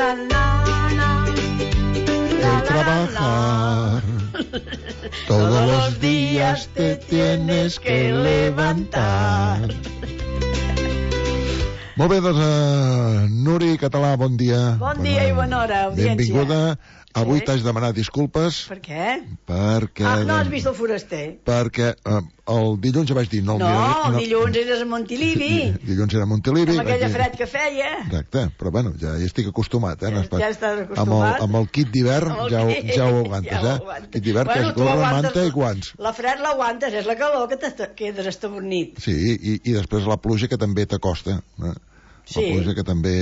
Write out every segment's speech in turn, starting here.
El trabajar. Todos los días te tienes que levantar. Molt bé, doncs, Nuri Català, bon dia. Bon dia i bona hora, audiència. Benvinguda. Avui t'haig demanat disculpes. Per què? Perquè... no has vist el foraster? Perquè el dilluns ja vaig dir... No, dilluns eres a Montilivi. Dilluns era a Montilivi. Amb aquella fred que feia. Exacte, però bueno, ja hi estic acostumat. Ja estàs acostumat. Amb el kit d'hivern ja ho aguantes, Kit d'hivern que és gorra, manta i guants. La fred l'aguantes, és la calor que quedes estabornit. Sí, i després la pluja que també t'acosta. La pluja que també...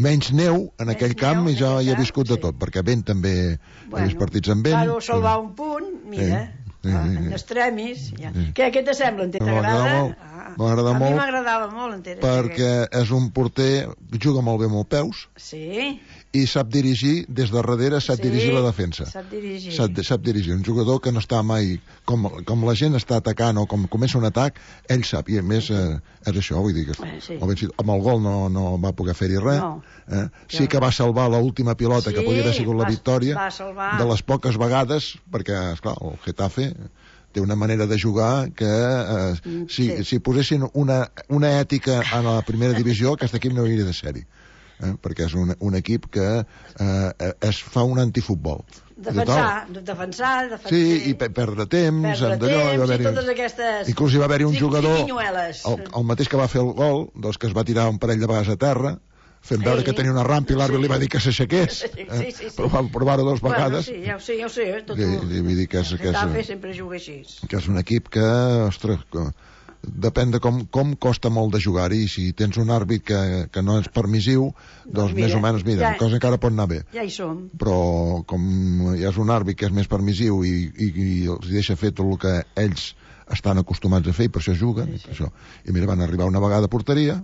Menys neu en aquell camp i jo hi he viscut de tot, perquè vent també he vist partits amb vent. Claro, salvar un punt, mira, en extremis. Què te sembla, en t'agrada? M'agrada molt. A mi m'agradava molt, en perquè és un porter que juga molt bé amb els peus. Sí. I sap dirigir, des de darrere sap dirigir la defensa. Sap dirigir. Sap dirigir. Un jugador que no està mai... Com la gent està atacant o com comença un atac, ell sap. I a més, és això, vull dir que... Amb el gol no va poder fer-hi res. Sí que va salvar l'última pilota, que podria haver sigut la victòria. De les poques vegades, perquè, esclar, el Getafe té una manera de jugar que si posessin una ètica a la primera divisió, aquest equip no hauria de ser-hi. Perquè és un equip que es fa un antifutbol. Defensar. Sí, i perdre temps, i totes aquestes... Inclús hi va haver un jugador, el mateix que va fer el gol, doncs que es va tirar un parell de vegades a terra, fent veure que tenia una rampa i l'àrbitre li va dir que s'aixequés. Però va provar-ho 2 vegades. Sí, ja ho sé. Vull dir que sempre juga així. Que és un equip que, ostres... Depèn de com costa molt de jugar-hi, i si tens un àrbit que no és permissiu, doncs més o menys, mira, la cosa encara pot anar bé. Ja hi som. Però com hi ha un àrbit que és més permissiu i els deixa fer tot el que ells estan acostumats a fer, i per això juguen. I mira, van arribar una vegada a porteria,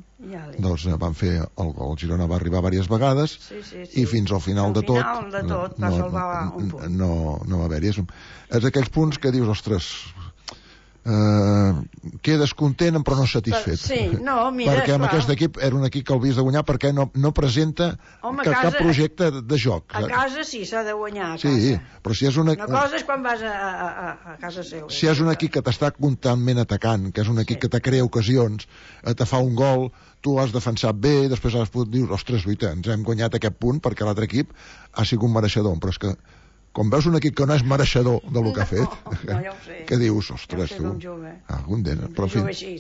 doncs van fer el gol. El Girona va arribar diverses vegades i fins al final de tot va salvar un punt. No va haver-hi. És aquells punts que dius, ostres... quedes content però no satisfet. Perquè amb aquest equip era un equip que el havies de guanyar perquè no presenta cap projecte de joc. A casa sí, s'ha de guanyar a casa. Sí, però si és una cosa és quan vas a casa seu. Si és un equip que t'està constantment atacant, que és un equip que te crea ocasions, te fa un gol, tu has defensat bé, després has pogut dir, ostres, ens hem guanyat aquest punt perquè l'altre equip ha sigut mereixedor. Però és que quan veus un equip que no és mereixedor del que ha fet, que dius, ostres, tu... Algun dia, però en fi...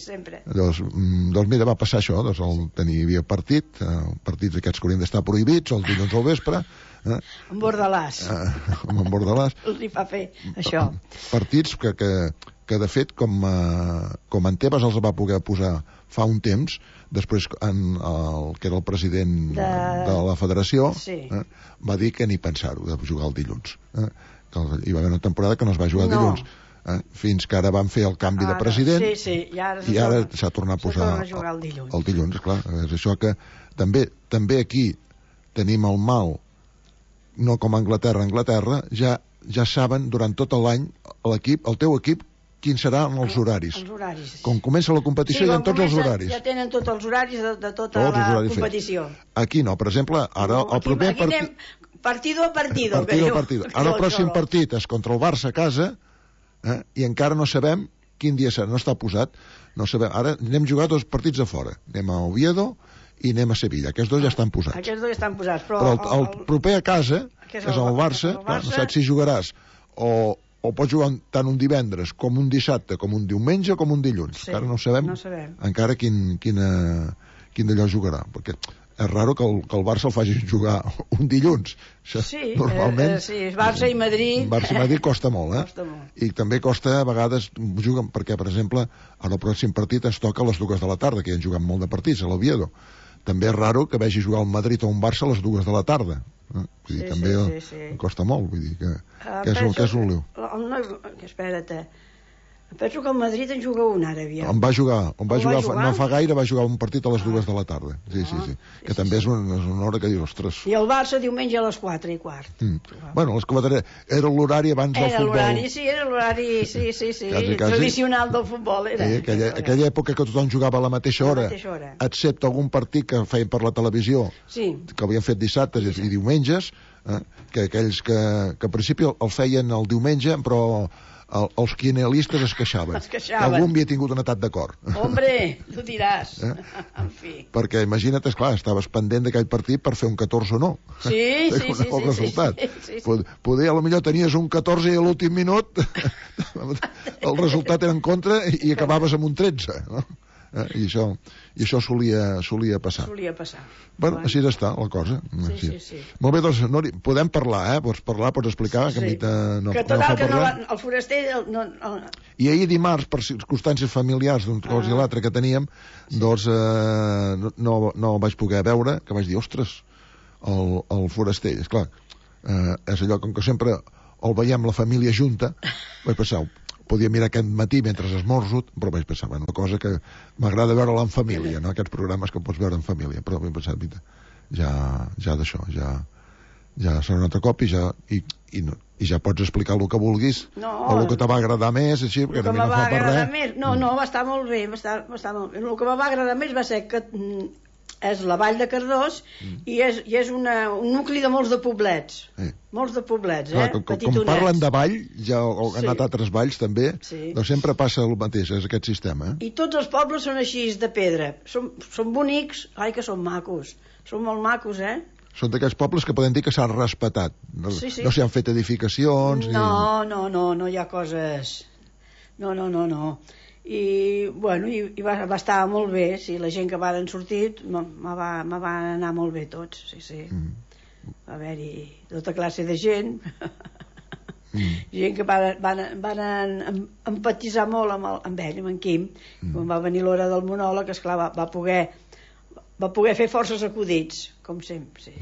Doncs mira, va passar això, hi havia partits aquests que haurien d'estar prohibits, els dilluns al vespre... En Bordalàs. En Bordalàs. Li fa fer això. Partits que de fet, com en Tebas els va poder posar fa un temps, després el que era el president de la federació va dir que ni pensar-ho de jugar el dilluns. Hi va haver una temporada que no es va jugar dilluns, fins que ara van fer el canvi de president i ara s'ha tornat a posar el dilluns. Clar, és això que també aquí tenim el mal, no com a Anglaterra ja saben durant tot l'any el teu equip quins seran els horaris. Com comença la competició hi ha tots els horaris. Ja tenen tots els horaris de tota la competició. Aquí no, per exemple, ara el proper partit... Partido a partido. Ara el pròxim partit és contra el Barça a casa i encara no sabem quin dia serà, no està posat. Ara anem a jugar 2 partits a fora. Anem a Oviedo i anem a Sevilla. Aquests 2 ja estan posats. Però el proper a casa, que és el Barça, no saps si jugaràs o pots jugar tant un divendres com un dissabte, com un diumenge o com un dilluns. Encara no sabem encara quin d'allò jugarà, perquè és raro que el Barça el faci jugar un dilluns. Normalment Barça i Madrid costa molt, i també costa a vegades juguen, perquè per exemple ara el pròxim partit ens toca a les 2 de la tarda, que ja han jugat molt de partits a l'Oviedo. També és raro que vegi jugar el Madrid o un Barça a les 2 de la tarda. També costa molt, vull dir que és un lío. Espera't, Penso que el Madrid en juga un ara, aviam. On va jugar, no fa gaire, va jugar un partit a les 2 de la tarda. Sí. Que també és una hora que diu, ostres. I el Barça diumenge a les 4:15. Bueno, era l'horari abans del futbol. Era l'horari, sí. Tradicional del futbol, era. Aquella època que tothom jugava a la mateixa hora, excepte algun partit que feien per la televisió, que havien fet dissabtes i diumenges, que aquells que al principi el feien el diumenge, però els quinelistes es queixaven. Algú havia tingut un atac de cor. Hombre, tu diràs. En fi. Perquè imagina't, esclar, estaves pendent d'aquell partit per fer un 14 o no. Sí. El resultat. Poder, potser tenies un 14 i a l'últim minut el resultat era en contra i acabaves amb un 13, no? I això solia passar. Bueno, així està la cosa. Sí. Molt bé, doncs, Nori, podem parlar, pots explicar, que a mi no fa parlar. El foraster... I ahir dimarts, per circumstàncies familiars d'una cosa i l'altra que teníem, doncs no vaig poder veure, que vaig dir, ostres, el foraster, esclar, és allò, com que sempre el veiem la família junta, vaig pensar, podia mirar aquest matí mentre esmorzo, però vaig pensar, una cosa que m'agrada veure-la en família, no? Aquests programes que pots veure en família, però vaig pensar, ja d'això, ja serà un altre cop i ja pots explicar el que vulguis, o el que te va agradar més, així, perquè també no fa per res. No, va estar molt bé, el que me va agradar més va ser que és la Vall de Cardós i és un nucli de molts de poblets. Molts de poblets, com parlen de vall, ja han anat a altres valls també, doncs sempre passa el mateix, és aquest sistema. I tots els pobles són així, de pedra. Són bonics, que són macos. Són molt macos, Són d'aquests pobles que podem dir que s'han respetat. No s'hi han fet edificacions... No hi ha coses... No. I va estar molt bé, la gent que van sortir me van anar molt bé tots, sí. Va haver-hi tota classe de gent, gent que van empatitzar molt amb ell, amb en Quim. Quan va venir l'hora del monòleg, esclar, va poder fer forces acudits, com sempre.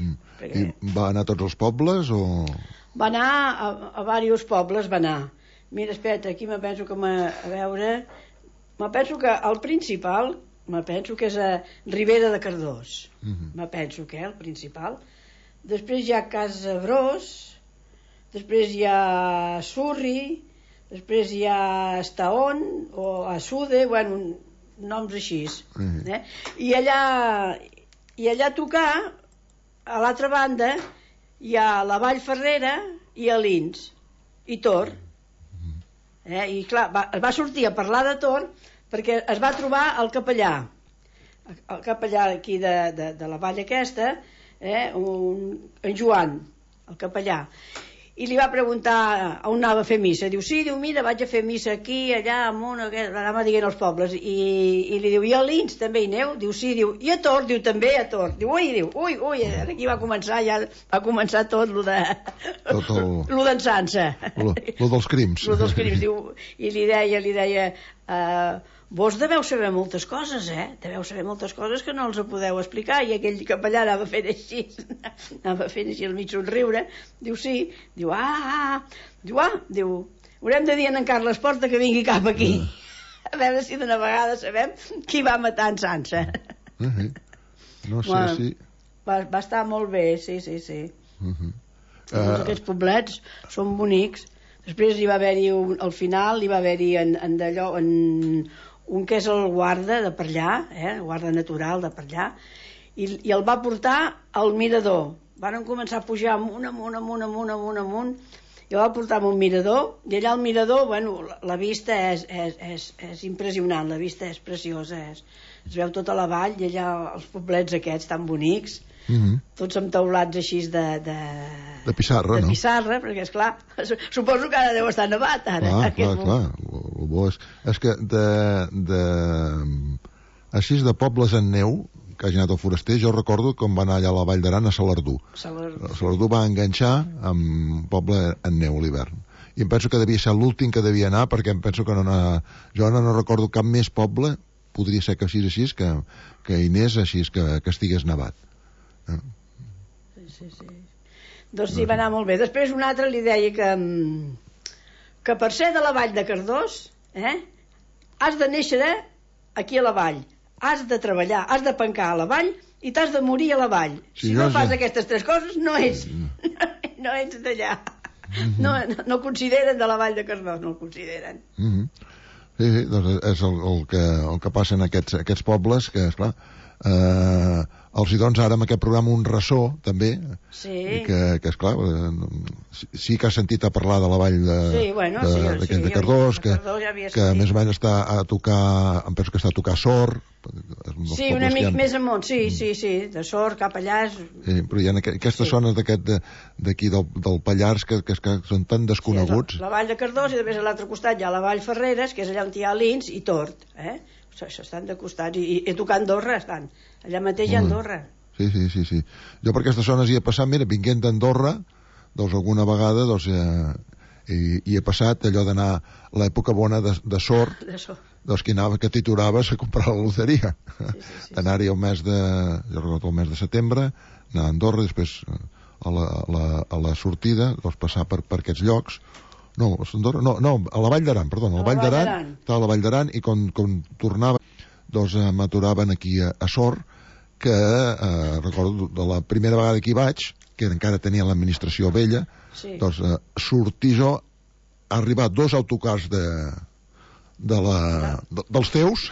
I va anar a tots els pobles o...? Va anar a diversos pobles, va anar. Mira, espera, aquí me penso que a veure... Me penso que el principal, és a Ribera de Cardós. Me penso que el principal. Després hi ha Casabrós, després hi ha Surri, després hi ha Estaón, o Assude, noms així. I allà a tocar, a l'altra banda, hi ha la Vall Ferrera i Alins, i Tor. I clar, va sortir a parlar de Tor perquè es va trobar el capellà aquí de la vall aquesta, en Joan, el capellà, i li va preguntar on anava a fer missa. Diu, sí, mira, vaig a fer missa aquí, allà, amunt, anava dient els pobles, i li diu, i a Lins també hi aneu? Diu, sí, diu, i a Tor? Diu, també a Tor. Diu, ui, aquí va començar tot lo d'ençança. Lo dels crims. Diu, i li deia, vos deveu saber moltes coses, deveu saber moltes coses que no els podeu explicar. I aquell capellà anava fent així al mig somriure. Diu, sí. Diu, haurem de dir a en Carles Porta que vingui cap aquí, a veure si d'una vegada sabem qui va matar en Sança. No sé si... Va estar molt bé, sí. Aquests poblets són bonics. Després hi va haver-hi al final, hi va haver-hi un que és el guarda de per allà, guarda natural de per allà, i el va portar al mirador. Van començar a pujar amunt, i el va portar a un mirador, i allà al mirador, la vista és impressionant, la vista és preciosa, es veu tota la vall, i allà els poblets aquests tan bonics, tots amb teulats així de pissarra, no? De pissarra, perquè esclar, suposo que ara deu estar nevat ara. Clar. És que així de pobles en neu que hagi anat al foraster, jo recordo com va anar allà a la Vall d'Aran a Salardú. Salardú va enganxar amb un poble en neu a l'hivern. I em penso que devia ser l'últim que devia anar, perquè em penso que jo no recordo cap més poble, podria ser que així, que hi anés així, que estigués nevat. Sí. Doncs sí, va anar molt bé. Després un altre li deia que per ser de la Vall de Cardós has de néixer aquí a la vall, has de treballar, has de pencar a la vall i t'has de morir a la vall. Si no fas aquestes 3 coses, no ets d'allà. No consideren de la vall de Cardós, no el consideren. Sí, doncs és el que passa en aquests pobles, que, esclar, els hi dones ara amb aquest programa un ressò també, que esclar, sí que has sentit a parlar de la vall de Cardós, que a més o menys està a tocar, em penso que està a tocar Sort. Sí, una mica més amunt, sí, de Sort cap allà. Però hi ha aquestes zones d'aquí del Pallars que són tan desconeguts. La vall de Cardós, i després a l'altre costat hi ha la vall Ferreres, que és allà on hi ha Lins i Tort, estan de costats, i a tocar Andorra estan, allà mateix hi ha Andorra. Sí. Jo per aquestes zones hi he passat, mira, vinguent d'Andorra, doncs alguna vegada hi he passat allò d'anar a l'època bona de Sort, doncs que t'aturaves a comprar la loteria. D'anar-hi el mes de setembre, anar a Andorra, després a la sortida, doncs passar per aquests llocs. No, a la Vall d'Aran, perdona, a la Vall d'Aran, estava a la Vall d'Aran, i quan tornava, doncs m'aturaven aquí a Sort, que recordo de la primera vegada que hi vaig, que encara tenia l'administració vella, doncs sortir jo, ha arribat 2 autocars dels teus,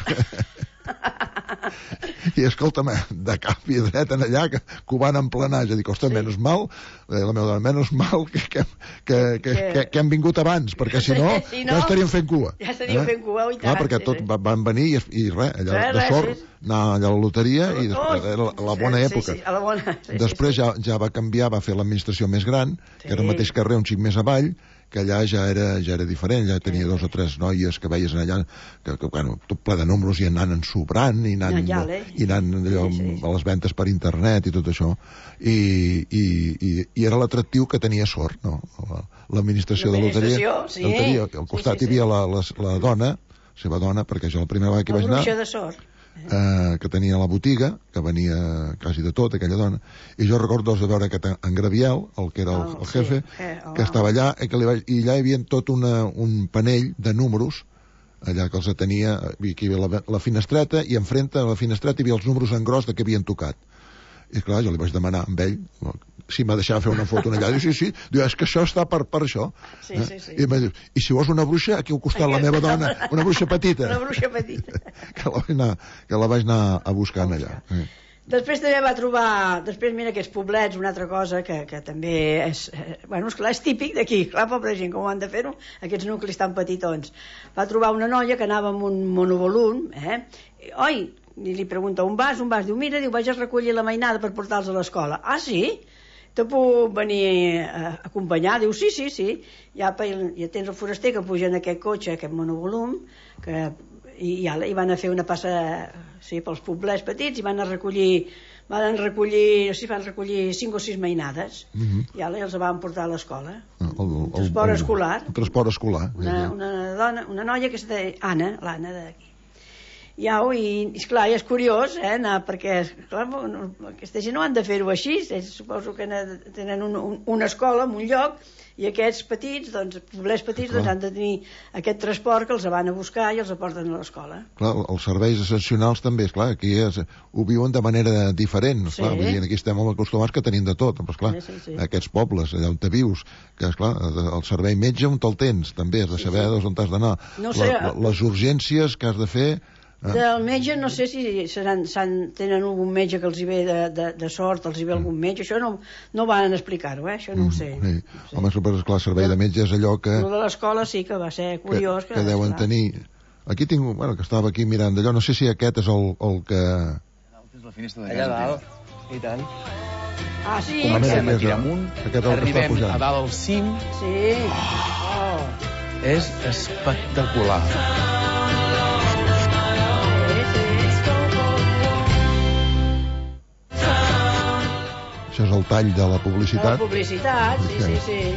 i escolta'm, de cap i dret en allà, que ho van emplenar. Jo dic, ostres, menys mal, la meva dona, menys mal que hem vingut abans, perquè si no, ja estaríem fent cua. Ja estaríem fent cua, i tant. Perquè tot van venir i res, allà de Sort, anar allà a la loteria, i després era la bona època. Després ja va canviar, va fer l'administració més gran, que era el mateix carrer, un xic més avall, que allà ja era diferent, ja tenia 2 o 3 noies que veies allà, que bueno, tot ple de números, i anant ensobrant, i anant allò a les ventes per internet i tot això, i era l'atractiu que tenia Sort, no? L'administració de loteria, al costat hi havia la dona, la seva dona, perquè jo la primera vegada que vaig anar, la bruixa de Sort, que tenia la botiga, que venia quasi de tot, aquella dona, i jo recordo de veure que en Graviel, el que era el jefe, que estava allà, i allà hi havia tot un panell de números, allà que els tenia, hi havia la finestreta, i enfrente a la finestreta hi havia els números en gros de què havien tocat. I clar, jo li vaig demanar amb ell si m'ha deixat fer una foto allà. Diu, sí. Diu, és que això està per això. I em va dir, i si vols una bruixa, aquí al costat la meva dona, una bruixa petita. Una bruixa petita. Que la vaig anar a buscar allà. Després també va trobar, mira, aquests poblets, una altra cosa que també és, bueno, esclar, és típic d'aquí, clar, pobra gent, com ho han de fer-ho, aquests nuclis tan petitons. Va trobar una noia que anava amb un monovolum, oi, i li pregunta on vas, diu, mira, vaig a recollir la mainada per portar-los a l'escola. Ah, sí? Te puc venir a acompanyar? Diu, sí. Ja tens el foraster que puja en aquest cotxe, aquest monovolum, i van a fer una passa pels poblets petits, i van recollir 5 o 6 mainades, i els van portar a l'escola. Transport escolar. Transport escolar. Una noia que es deia Anna, l'Anna d'aquí. I esclar, és curiós anar, perquè clar, aquesta gent no han de fer-ho així, suposo que tenen una escola en un lloc, i aquests petits, poblets petits, han de tenir aquest transport que els van a buscar i els aporten a l'escola. Clar, els serveis essencials també, esclar, aquí ho viuen de manera diferent, esclar, vull dir, aquí estem acostumats que tenim de tot, però esclar, aquests pobles, allà on te vius, que esclar, el servei metge on te'l tens, també has de saber on t'has d'anar, les urgències que has de fer. Del metge no sé si tenen algun metge que els hi ve de Sort, els hi ve algun metge, això no van explicar-ho, això no ho sé. Home, esclar, el servei de metge és allò que... El de l'escola sí que va ser curiós. Que deuen tenir... Aquí tinc, bueno, que estava aquí mirant d'allò, no sé si aquest és el que... Allà dalt, i tant. Ah, sí? Comencem aquí amunt, arribem a dalt al cim. Sí. És espectacular. Això és el tall de la publicitat. La publicitat, sí.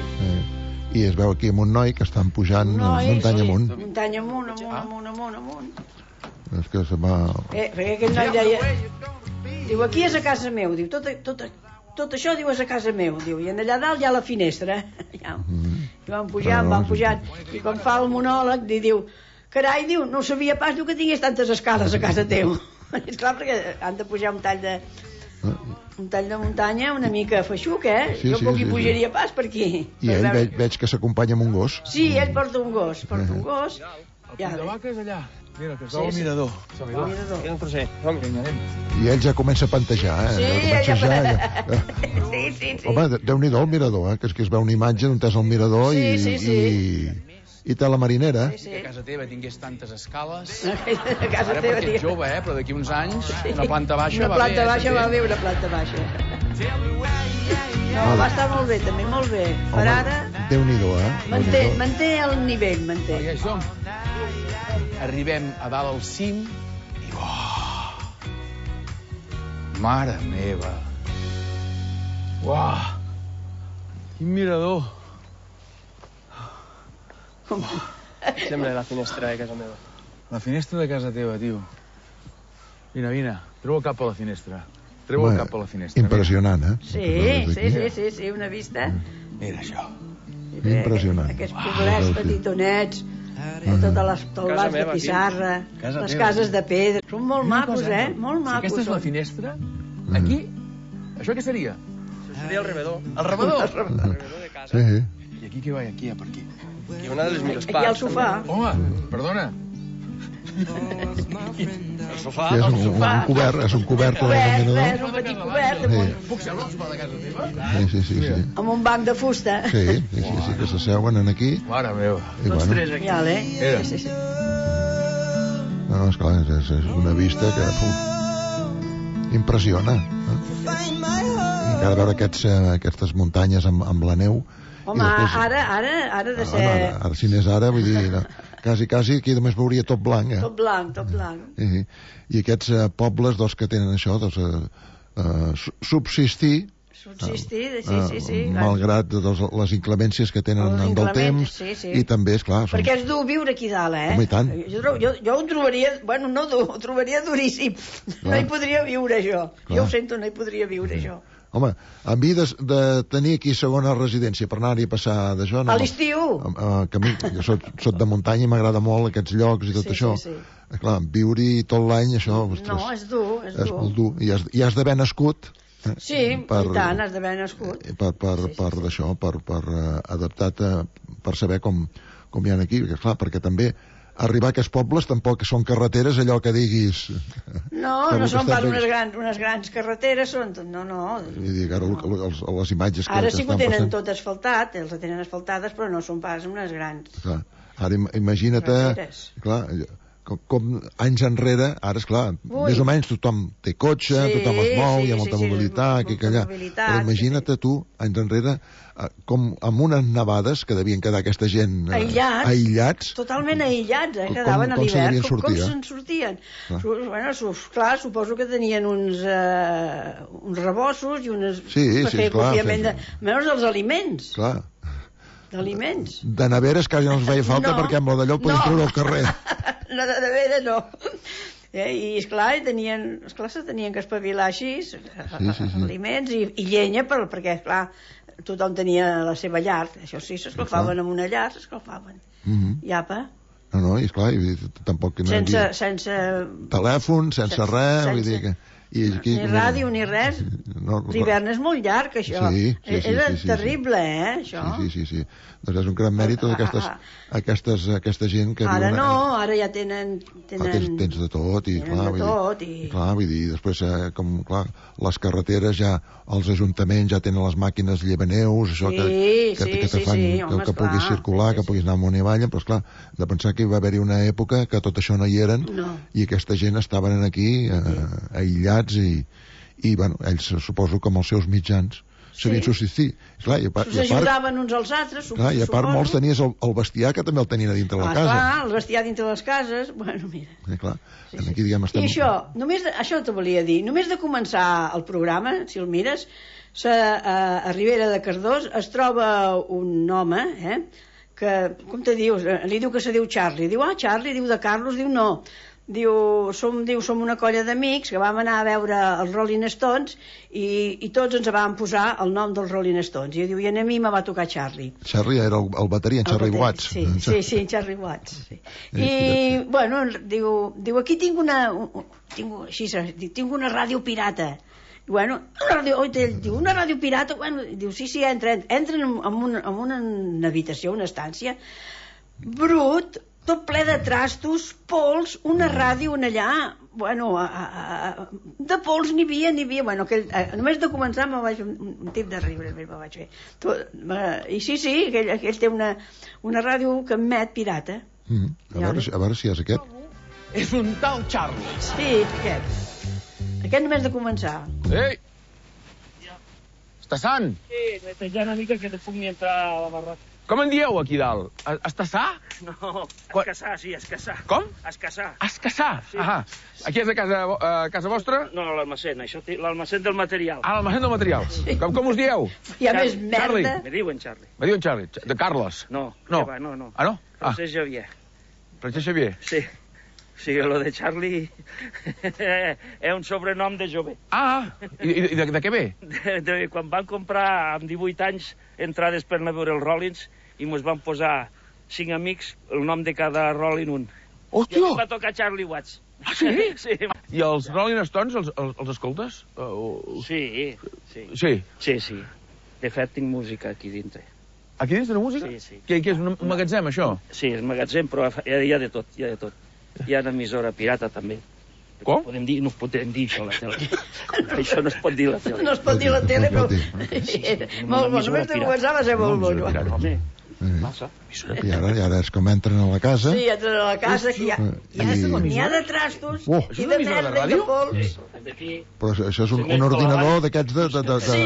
I es veu aquí amb un noi que estan pujant muntanya amunt. Muntanya amunt. És que se va... Perquè aquest noi deia... Diu, aquí és a casa meu. Diu, tot això, diu, és a casa meu. Diu, i allà dalt hi ha la finestra. I van pujant. I quan fa el monòleg, diu, Carai, diu, no sabia pas que tingués tantes escales a casa teu. És clar, perquè han de pujar un tall de muntanya una mica feixuc, jo poc hi pujaria pas per aquí. I ell veig que s'acompanya amb un gos. Sí, ell porta un gos. El punt de vaca és allà. Mira, que es veu el mirador. El trosset. I ell ja comença a pantejar, Sí. Home, Déu-n'hi-do el mirador, que es veu una imatge d'on és el mirador i té la marinera. Que a casa teva tingués tantes escales. A casa teva, perquè ets jove, però d'aquí uns anys una planta baixa va bé. Una planta baixa va bé, una planta baixa. No, va estar molt bé, també, molt bé. Per ara... Déu-n'hi-do, Manté el nivell, manté. I això, arribem a dalt al cim i... Mare meva! Uah! Quin mirador! Sembla la finestra de casa meva. La finestra de casa teva, tio. Vine, treu el cap a la finestra. Treu el cap a la finestra. Impressionant, Sí, una vista. Mira això. Impressionant. Aquests poblets petitonets, totes les teulats de pissarra, les cases de pedra. Són molt macos, molt macos. Si aquesta és la finestra, aquí, això què seria? Això seria el rebedor. El rebedor? El rebedor de casa. Sí. I aquí què va? Aquí, per aquí. Aquí una de les millors parts. Aquí al sofà. Home, perdona. El sofà. És un cobert. És un petit cobert. Puc seure al sofà de casa teva? Sí. Amb un banc de fusta. Sí, que s'asseuen aquí. Mare meva. Tots tres aquí. Sí. No, esclar, és una vista que impressiona. I encara veure aquestes muntanyes amb la neu. Home, ara de ser... Ara, si n'és ara, vull dir, quasi aquí només veuria tot blanc. Tot blanc. I aquests pobles, que tenen això, subsistir, malgrat les inclemències que tenen del temps, i també, esclar... Perquè és dur viure aquí dalt, Home, i tant. Jo ho trobaria, ho trobaria duríssim. No hi podria viure, jo. Jo ho sento, no hi podria viure, jo. Home, a mi de tenir aquí segona residència per anar-hi a passar d'això... A l'estiu! Jo soc de muntanya i m'agrada molt aquests llocs i tot això. Clar, viure-hi tot l'any, això... No, és dur. És molt dur. I has d'haver nascut... Sí, i tant, has d'haver nascut. Per d'això, per adaptar-te, per saber com hi ha aquí. Clar, perquè també... Arribar a aquests pobles tampoc són carreteres allò que diguis... No són pas unes grans carreteres, són... No. I dic, ara les imatges que ara sí que ho tenen tot asfaltat, els tenen asfaltades, però no són pas unes grans... Clar, ara imagina't... Clar, com anys enrere, ara, esclar, més o menys tothom té cotxe, tothom es mou, hi ha molta mobilitat, aquí i allà. Però imagina't tu, anys enrere, com amb unes nevades que devien quedar aquesta gent aïllats. Totalment aïllats, quedaven a l'hivern. Com se'n sortien? Clar, suposo que tenien uns rebossos i unes... Sí, clar. Menys els aliments. Clar. D'aliments. De neveres quasi no els feia falta perquè amb la d'allò el podien treure al carrer. No, de nevera no. I esclar, se tenien que espavilar així, aliments i llenya, perquè esclar, tothom tenia la seva llar. Això sí, s'escalfaven amb una llar, s'escalfaven. I apa. No, i esclar, tampoc... Sense telèfon, sense res, vull dir que... Ni ràdio ni res. L'hivern és molt llarg, això. Era terrible, això. Sí. Doncs és un gran mèrit tota aquesta gent que... Ara no, ara ja tenen... Tens de tot, i clar, vull dir, després, clar, les carreteres ja, els ajuntaments ja tenen les màquines llevaneus, això que te fan que puguis circular, que puguis anar amunt i avall, però esclar, de pensar que hi va haver-hi una època que tot això no hi eren, i aquesta gent estaven aquí aïllats i bueno, ells suposo que amb els seus mitjans sabien subsistir. S'ajudaven uns als altres, suposo. I a part molts tenies el bestiar que també el tenien a dintre de la casa. Clar, el bestiar dintre de les cases, bueno, mira. Aquí diguem estem... I això t'ho volia dir, només de començar el programa, si el mires, a Ribera de Cardós es troba un home, que, com te dius, li diu que se diu Charlie, diu, Charlie, diu de Carlos, diu no. som una colla d'amics que vam anar a veure els Rolling Stones i tots ens vam posar el nom dels Rolling Stones. I a mi me va tocar Charlie. Charlie era el bateria, en Charlie Watts. Sí, en Charlie Watts. Sí. I, bueno, diu, aquí tinc una ràdio pirata. Bueno, una ràdio pirata, bueno, diu, sí, entren en una habitació, una estància, brut, tot ple de trastos, pols, una ràdio en allà, bueno, de pols n'hi havia, bueno, només de començar me vaig un tip de riure, me vaig fer. I sí, aquell té una ràdio que emet pirata. A veure si és aquest. És un tal Charlie. Sí, aquest només de començar. Ei! Està sant? Sí, netejar una mica que no puc ni entrar a la barraca. Com en dieu aquí dalt? Està sa? No, escassar, sí, escassar. Com? Escassar. Escassar? Sí. Ah, aquí és a casa vostra? No, l'almacén, l'almacén del material. Ah, l'almacén del material. Sí. Com us dieu? Hi ha més merda. Me diuen Charlie. Me diuen Charlie. De Carles? No. No. No. Ah, no? Francesc Xavier. Francesc Xavier? Sí. Sí, lo de Charlie és un sobrenom de jove. Ah, i de què ve? Quan van comprar amb 18 anys entrades per anar a veure els Rollins i mos van posar 5 amics el nom de cada Rolling un. Hòstia! I em va tocar Charlie Watts. Ah, sí? Sí. I els Rolling Stones els escoltes? Sí. Sí. De fet, tinc música aquí dintre. Aquí dins de la música? Sí. Què és un magatzem, això? Sí, és magatzem, però hi ha de tot, Hi ha una emissora pirata, també. Com? No podem dir això a la tele. Això no es pot dir a la tele. No es pot dir a la tele, però... Molt bo, només de començar va ser molt bo. Home, massa. I ara és com entren a la casa. Sí, entren a la casa, que n'hi ha de trastos i de merda i de pols. Però això és un ordinador d'aquests de... Sí.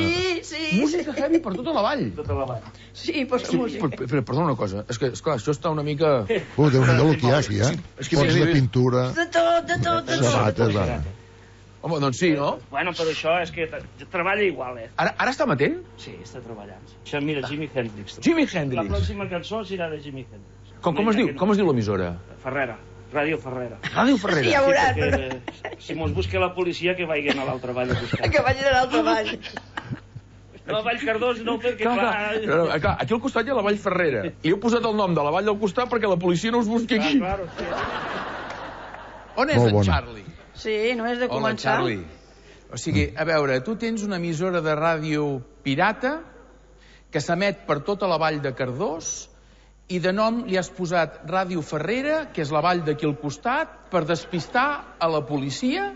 Música heavy per tota la vall. Tota la vall. Sí, posa música. Perdona una cosa, és que, esclar, això està una mica... Déu-n'hi-do el que hi ha aquí, Pots de pintura... De tot. Sabates, va. Home, doncs sí, no? Bueno, però això és que treballa igual, Ara està amatent? Sí, està treballant. Això, mira, Jimi Hendrix. Jimi La Hendrix. pròxima cançó serà de Jimi Hendrix. Com es diu l'emissora? Ferrera. Ràdio Ferrera. Ràdio Ferrera. Ja veuràs. Si mos busca la policia, que vagin a l'altra vall a buscar. Que vagin a l'altra vall. No, Vall Cardós no, perquè clar, aquí al costat hi ha la Vall Ferrera. I heu posat el nom de la vall del costat perquè la policia no us busqui aquí. Claro, sí. On és en Charlie? Sí, només de començar. Hola, Charlie. O sigui, a veure, tu tens una emissora de ràdio pirata que s'emet per tota la vall de Cardós i de nom li has posat Ràdio Ferrera, que és la vall d'aquí al costat, per despistar a la policia.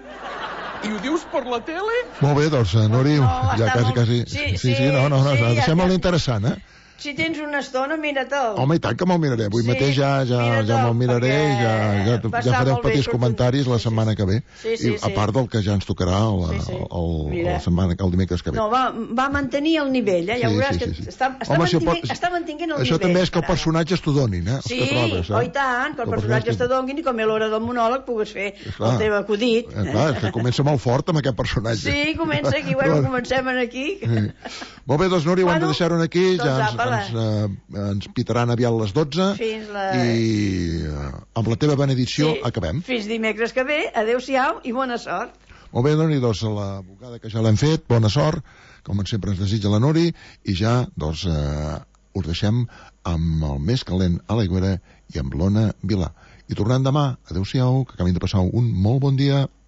I ho dius per la tele? Molt bé, doncs, Nori, ja quasi... Sí, no, deixem-ho interessant, Si tens una estona, mira-te'l. Home, i tant que me'l miraré. Avui mateix ja me'l miraré i ja faré els petits comentaris la setmana que ve. I a part del que ja ens tocarà el dimecres que ve. No, va mantenir el nivell, ja veuràs que està mantinguent el nivell. Això també és que els personatges t'ho donin, Sí, i tant, que els personatges t'ho donin i com a l'hora del monòleg pugues fer el teu acudit. Clar, és que comença molt fort amb aquest personatge. Sí, comença aquí, bueno, comencem aquí. Molt bé, doncs, Núria, ho hem de deixar-ho aquí, ja ens pitaran aviat les 12 i amb la teva benedicció acabem. Fins dimecres que ve, adeu-siau i bona sort. Molt bé, Nori, doncs la bugada que ja l'hem fet, bona sort, com sempre ens desitja la Nori, i ja doncs us deixem amb el més calent a l'Aigüera i amb l'Ona Vilà. I tornem demà, adeu-siau, que acabin de passar un molt bon dia.